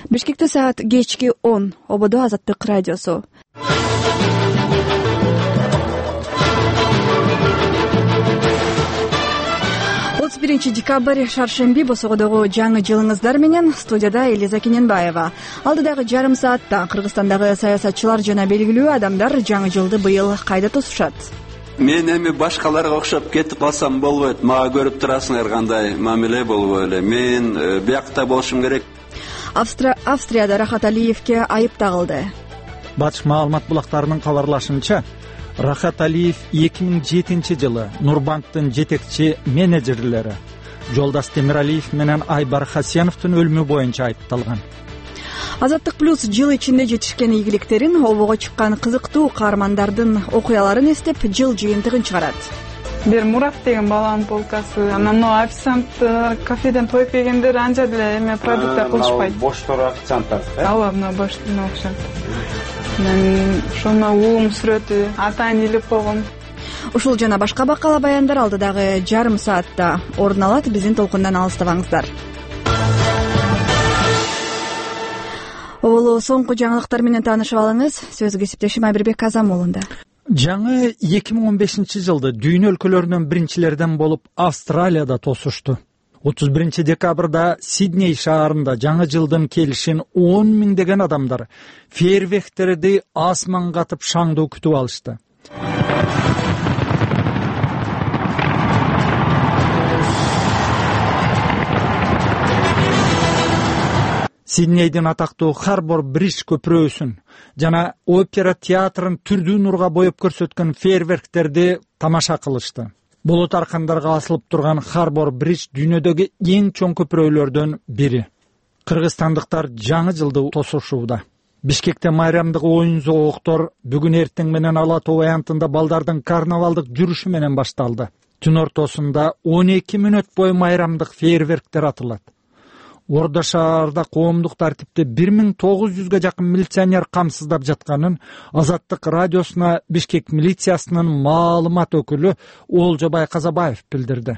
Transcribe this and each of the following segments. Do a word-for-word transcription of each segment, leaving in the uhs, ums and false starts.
Бишкекте саат кечки он. Ободо Азаттык радиосу. отуз биринчи декабрь шаршемби босогодогу жаңы жылыңыздар менен. Студияда Элиза Кененбаева. Алдыдагы жарым саатта Кыргызстандагы саясатчылар жана белгилүү адамдар жаңы жылды быйыл кайда тосушат? Мен эми башкаларга окшоп кетип калсам болбойт. Мага көрүп турасыңар кандай мамиле болуп эле. Мен биякта болушум керек. Австри... Австрияда Рахат Алиевке айып тагылды. Батыш маалымат булактарынын кабарлашынча, Рахат Алиев эки миң жетинчи жылы Нурбанктын жетекчи менеджерлери Жолдас Темиралиев менен Айбар Хасеновдун өлүмү боюнча айыпталган. Азаттык плюс жыл ичинде жетишкен ийгиликтерин, обого чыккан кызыктуу каармандардын окуяларын эстеп, жыл жыйынтыгын чыгарат. Бир Мурат деген баланын полкасы, анан могу официант кафеден тоюп келгендер анча деле эме продукттар кылышпайт. Боштор официанттар. Ооба, мына боштор окшойт. Мен ошону уулум сүрөтү, атайын илип койгом. Ушул жана башка бакала баяндар алдыдагы жарым саатта орун алат. Биздин толкундан алыстабаңыздар. Оболу соңку жаңылыктар менен таанышып алыңыз. Сөз кесиптешим Айбирбек Азамуулунда. Жаңы эки миң он бешинчи жылды дүйнө өлкөлөрүнөн биринчилерден болуп Австралияда тосушту. отуз биринчи декабрда Сидней шаарында жаңы жылдын келишин он миңдеген адамдар фейерверктерди асманга атып шаңдуу күтүп алышты. Сиднейдин атактуу Харбор Бридж көпүрөсүн жана опера театрын түрдүү нурга боеп көрсөткөн фейерверктерди тамаша кылышты. Булут аркандарга асылып турган Харбор Бридж дүйнөдөгү эң чоң көпүрөлөрдөн бири. Кыргызстандыктар жаңы жылды тосушууда. Бишкекте майрамдык оюн зоогуктор бүгүн эртең менен Ала Тоо аянтында балдардын карнавалдык жүрүшү менен башталды. Түн ортосунда он эки мүнөт бою майрамдык фейерверктер атылат. Ордо шаарда коомдук тартипти бир миң тогуз жүзгө жакын милиционер камсыздап жатканын Азаттык радиосуна Бишкек милициясынын маалымат өкүлү Олжобай Казабаев билдирди.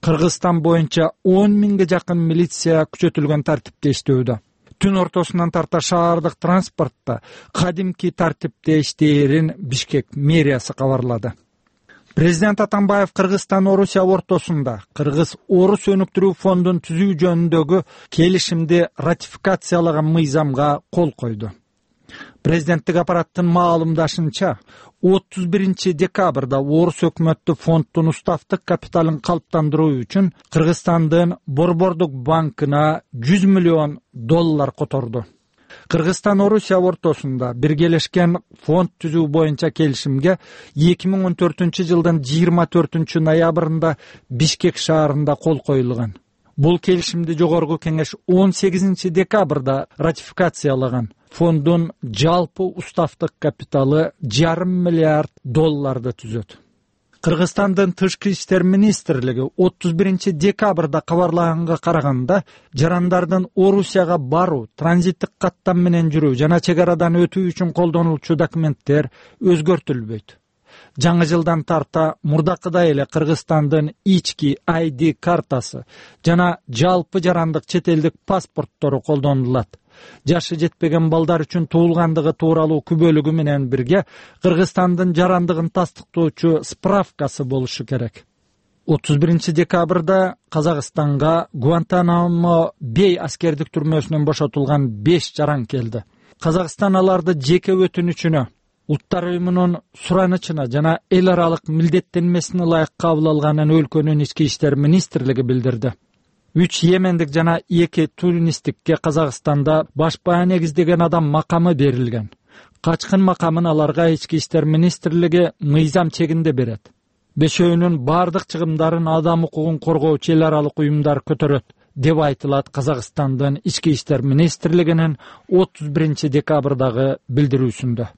Кыргызстан боюнча он миңге жакын милиция күчөтүлгөн тартипте иштөөдө. Түн ортосунан тарта шаардык транспортто кадимки тартипте иштээрин Бишкек мэриясы кабарлады. Президент Атамбаев Кыргызстан-Орусия ортосунда Кыргыз-Орус өнүктүрүү фондун түзүү жөнүндөгү келишимди ратификациялаган мыйзамга кол койду. Президенттик аппараттын маалымдашынча, отуз биринчи декабрда Орус өкмөттү фонддун уставдык капиталын калыптандыруу үчүн Кыргызстандын Борбордук банкына жүз миллион доллар которду. Кыргызстан-Орусия ортосунда биргелешкен фонд түзүү боюнча келишимге эки миң он төртүнчү жылдын жыйырма төртүнчү ноябрында Бишкек шаарында кол коюлган. Бул келишимди жогорку кеңеш он сегизинчи декабрда ратификациялаган. Фонддун жалпы уставдык капиталы жарым миллиард долларды түзөт. Кыргызстандын тышкы иштер министрлиги отуз биринчи декабрда кабарлаганга караганда, жарандардын Орусияга баруу, транзиттик каттам менен жүрүү жана чек арадан өтүү үчүн колдонулчу документтер өзгөртүлбөйт. Жаңы жылдан тарта мурдакыдай эле Кыргызстандын ички ай ди картасы жана жалпы жарандык чет элдик паспорттору колдонулат. Жашы жетпеген балдар үчүн туулгандыгы тууралуу күбөлүгү менен бирге Кыргызстандын жарандыгын тастыктоочу справкасы болушу керек. отуз биринчи декабрда Казакстанга Гуантанамо Бей аскердик түрмөсүнөн бошотулган беш жаран келди. Казакстан аларды жеке өтүнүчүнө, Улуттар уюмунун суранычына жана эл аралык милдеттенмесине ылайык кабыл алганын өлкөнүн ички иштер министрлиги билдирди. Үч йемендик жана эки туристтикке Казакстанда башпаа негиздеген адам макамы берилген. Качкын макамын аларга ички иштер министрлиги мыйзам чегинде берет. Бешөөнүн бардык чыгымдарын адам укугун коргоочу эл аралык уюмдар көтөрөт, деп айтылат Казакстандын ички иштер министрлигинин отуз биринчи декабрдагы билдирүүсүндө.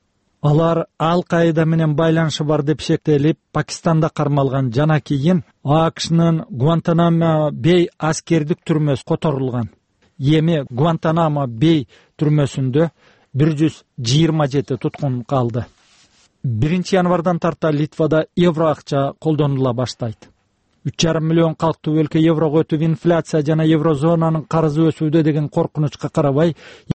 Алар Ал-Каида менен байланышы бар деп шектелип, Пакистанда кармалган жана кийин АКШнын Гуантанамо Бей аскердик түрмөсү которулган. Эми Гуантанамо Бей түрмөсүндө бир жүз жыйырма жети туткун калды. биринчи январдан тарта Литвада евро акча колдонула баштайт. үч жарым миллион калктуу өлкө еврого өтүп, инфляция жана еврозонанын карызы өсүүдө деген коркунучка карабай